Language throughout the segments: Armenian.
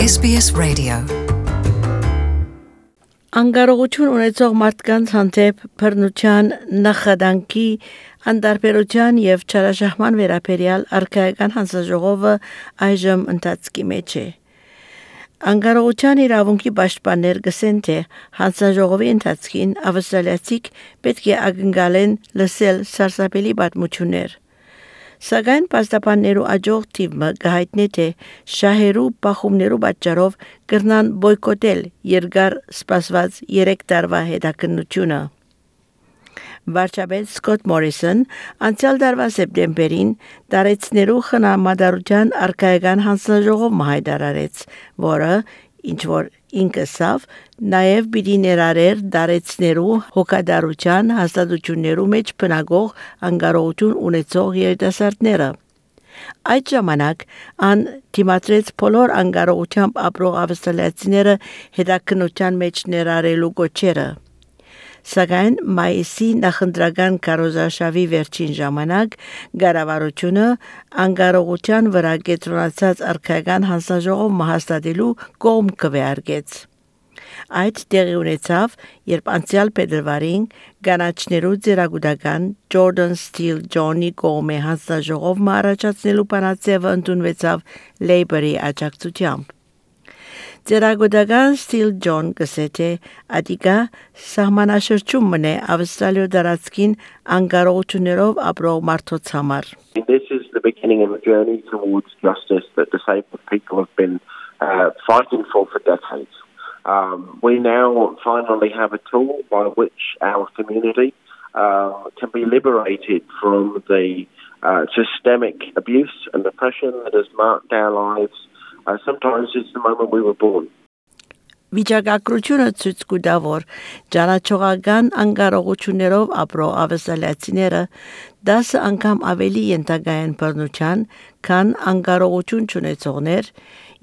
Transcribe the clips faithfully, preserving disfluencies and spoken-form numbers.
S B S Radio. Անկարողություն ունեցող մարդկանց հանդեպ բռնության նախադանքի անդարբերության եւ չարաշահման վերաբերյալ արքայական հանձնաժողովը այժմ ընթացքի մեջ է։ Անկարողության իրավունքի պաշտպաններ գսեն թե հանձնաժողովի ընթացքին ավստրալիացիք պետք է ակնկալեն լսել սարսափելի պատմություններ։ Սակայն պաստապաններու աջող թիվը գահիտնի թե շահերու բախումներու պատճառով կրնան բոյկոտել երկար սպասված երեք տարվա հետաքննությունը։ Վարչապետ Սկոտ Մորիսոն անցյալ տարվա սեպտեմբերին տարեցներու խնամադարության արքայական հանձնաժողով հայտարարեց, որը ինչ որ ինքսավ նաև պիտի ներառեր դարեցներու հոգադարության հաստատություններու մեջ բնագող անկարողություն ունեցող երիտասարդները։ Այդ ժամանակ ան դիմադրեց բոլոր անկարողությամբ ապրող ավստրալիացիները հետաքննության մեջ ներառելու կոչերը։ Սակայն մայիսի նախընտրական կարոզարշավի վերջին ժամանակ կառավարությունը անկարողության վրա կենտրոնացած արքայական հանձնաժողով հաստատելու կողմ քվեարկեց։ Այդ տեղի ունեցավ, երբ անցյալ փետրվարին կանաչներու ձերագուտական Jordan Steele John-ի կողմէ հանձնաժողով առաջացնելու բանաձևը ընդունվեցավ Labour-ի աջակցությամբ։ Ձերագուտական Steele John գսեթե ադիկա սահմանաշրջում մնե Ավստրալիա դարածքին անկարողություններով ապրող մարդոց համար։ This is the beginning of a journey towards justice that disabled people have been uh, fighting for for decades. Um, we now finally have a tool by which our community uh, can be liberated from the uh, systemic abuse and oppression that has marked our lives. Uh, sometimes it's the moment we were born. Վիճակագրությունը ցույց կտա, որ ճանաչողական անկարողություններով ապրող ավստրալիացիները դասը անգամ ավելի ենթակա են բռնության, քան անկարողություն չունեցողներ,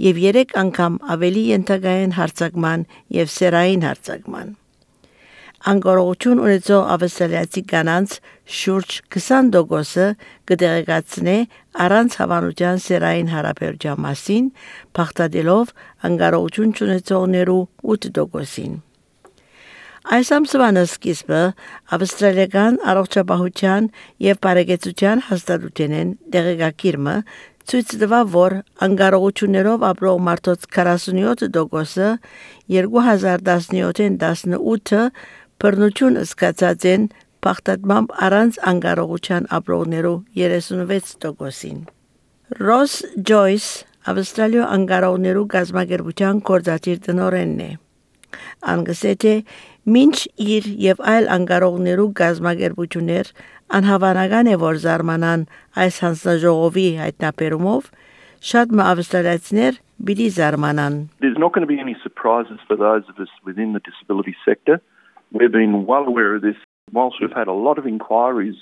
եւ երեք անգամ ավելի ենթակա են հարձակման եւ սերային հարձակման։ Անկարողություն ունեցող ավստրալիացի կանանց շուրջ քսան տոկոսը կդեղեկացնե առանց հավանության սերային հարաբերության մասին, փախտadելով անկարողություն ունեցողներու ութ տոկոսին։ Այս ամսվան սկիզբը ավստրալիական առողջապահության եւ բարեկեցության հաստատությունեն դեղեկագիրը ցույց տվավ, որ անկարողություններով ապրող մարդոց քառասունյոթ տոկոսը երկու հազար տասնյոթին տասնութը բռնություն զգացած են փախտատմամբ առանց անկարողության ապրողներու երեսունվեց տոկոսին։ Ռոս Ջոյս Ավստրալիա անկարողներու գազագերբության կորզատիր տնօրենն է։ Անգսեթե մինչ իր եւ այլ անկարողներու գազագերբություններ անհավանական է որ զարմանան այս հանձնաժողովի հայտնաբերումով շատ ավստրալիացիներ բիդի զարմանան։ There's not going to be any surprises for those of us within the disability sector. We've been well aware of this. Whilst we've had a lot of inquiries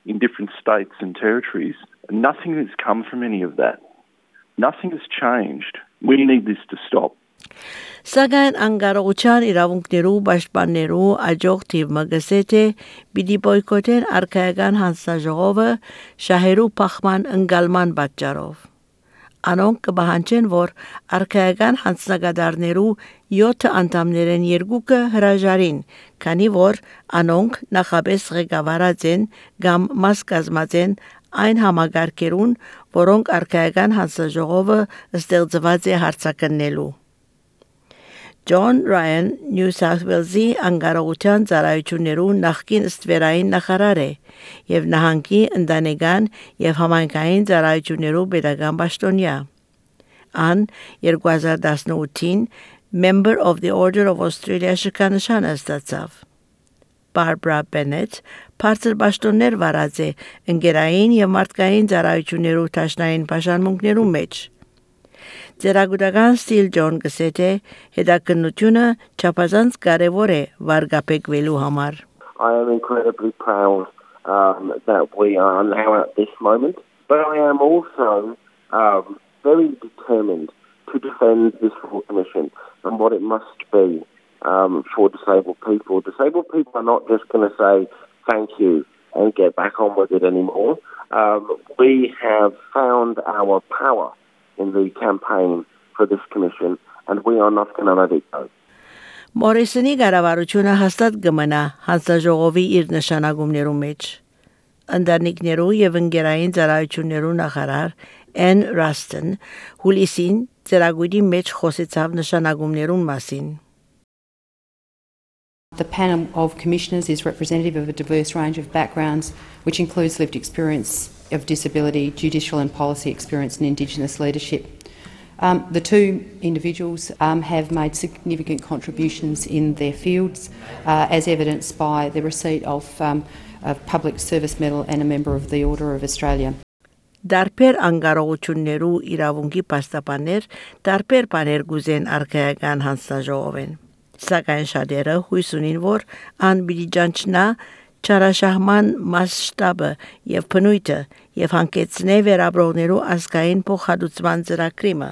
in different states and territories, nothing has come from any of that. Nothing has changed. We need this to stop. Սակայն անկարողության իրավունքներու պաշտպաններու աջող թիվը գսեթե պիտի բոյկոտեն արքայական հանձնաժողովը շահերու փախման ընկալման պատճառով։ Անոնք կբահանջեն, որ արքայական հանձնագետարներու յոթ անդամներեն երկուքը հրաժարին, քանի որ անոնք նախապես ղեկավարած են կամ մաս կազմած են այն համագարկերուն, որոնք արքայական հանձնաժողովը ստեղծված է հարցակնելու։ John Ryan New South Wales-ի անկարողության ծառայություններու նախկին ստվերային նախարար է եւ նահանգի ընտանեկան եւ համայնքային ծառայություններու պետական պաշտոնյա։ Ան երկու հազար տասնութին Member of the Order of Australia շքանշանը ստացավ։ Barbara Bennett բարձր պաշտոններ վարած է ընկերային եւ մարդկային ծառայություններու տաշնային պաշտամունքներու մեջ։ Ձերագուտական Steele John գսեթե հետաքննությունը չափազանց կարևոր է վարգապեկվելու համար։ I am incredibly proud um, that we are now at this moment, but I am also um, very determined to defend this full commission and what it must be um, for disabled people. Disabled people are not just going to say thank you and get back on with it anymore. Um, we have found our power in the campaign for this commission, and we are not going to let it go. Մորիսոնի կառավարությունը հաստատ կմնա հանձնաժողովի իր նշանակումներու մեջ։ Ընտանիքներու եւ ընկերային ծառայություններու նախարար Ann Ruston հուլիսին ծրագիրի մեջ խոսեցավ նշանակումներուն մասին։ The panel of commissioners is representative of a diverse range of backgrounds, which includes lived experience of disability, judicial and policy experience and Indigenous leadership. Um, the two individuals um, have made significant contributions in their fields, uh, as evidenced by the receipt of um, a Public Service Medal and a Member of the Order of Australia. Դարբեր անկարողություններու իրավունքի պաստապաններ դարբեր բաներ գուզեն արքայական հանձնաժողովեն։ Սակայն շատերը հույս ունին, որ անբիջանչնա չարաշահման մասշտաբը եւ բնույթը եւ հանգեցնե վերաբրողներու ազգային փոխհատուցման ծրագրիմը։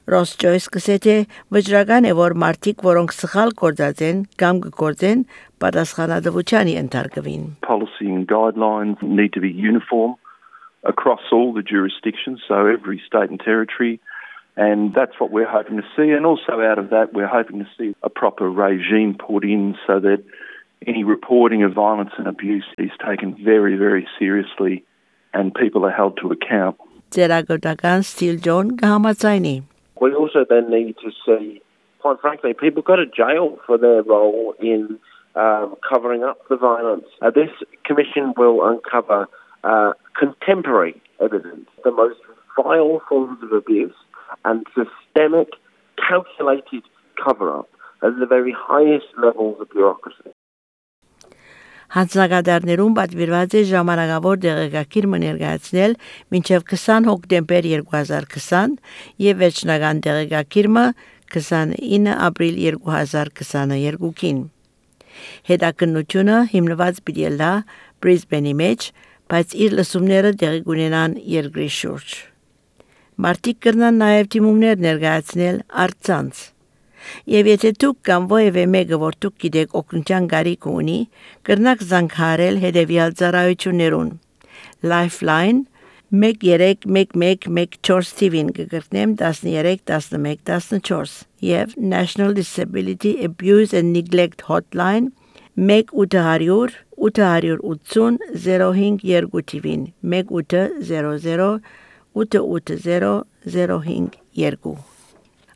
Ռոս Ջոյս կսեթե վճռական է, որ մարդիկ, որոնք սխալ գործած են կամ կգործեն, պատասխանատվության ենթարկվին։ Policy and guidelines need to be uniform across all the jurisdictions, so every state and territory, and that's what we're hoping to see. And also out of that, we're hoping to see a proper regime put in so that any reporting of violence and abuse is taken very, very seriously and people are held to account. Ծերագործական Steel John կհամաձայնի։ We also then need to see, quite frankly, people go to jail for their role in um, covering up the violence. Uh, this commission will uncover uh, contemporary evidence, the most vile forms of abuse and systemic, calculated cover-up at the very highest levels of bureaucracy. Հանձնագետներուն պատվիրված է ժամանակավոր դեղեկագիր ներկայացնել մինչև քսան հոկտեմբեր երկու հազար քսան եւ վերջնական դեղեկագիրը քսանինը ապրիլ երկու հազար քսաներկուին։ Հետաքննությունը հիմնված պիտի լա Բրիզբենի մեջ, բայց իր լսումները տեղի կունենան երկրի շուրջ։ Մարտիկ կրնան նաեւ թիմումներ ներկայացնել արցանց։ Եվ եթե դուք կամ ովևէ մեկը, որ դուք գիտեք օգնության կարիք ունի, կրնակ զանգահարել հետևյալ ծառայություններուն։ Lifeline one three one one one four T-ին կգտնեմ one three one one one four եւ National Disability Abuse and Neglect Hotline one eight hundred eight eighty zero five two T-ին one eight hundred eight eighty zero five two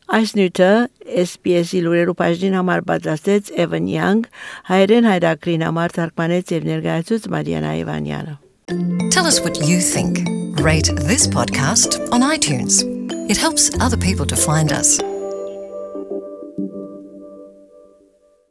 Այս նյութը S B S-ի լուրերու բաժնին համար պատրաստեց Evan Young, հայերեն հայրակրին համար թարգմանեց եւ ներկայացուց Մարիանա Իվանյանը։ Tell us what you think. Rate this podcast on iTunes. It helps other people to find us.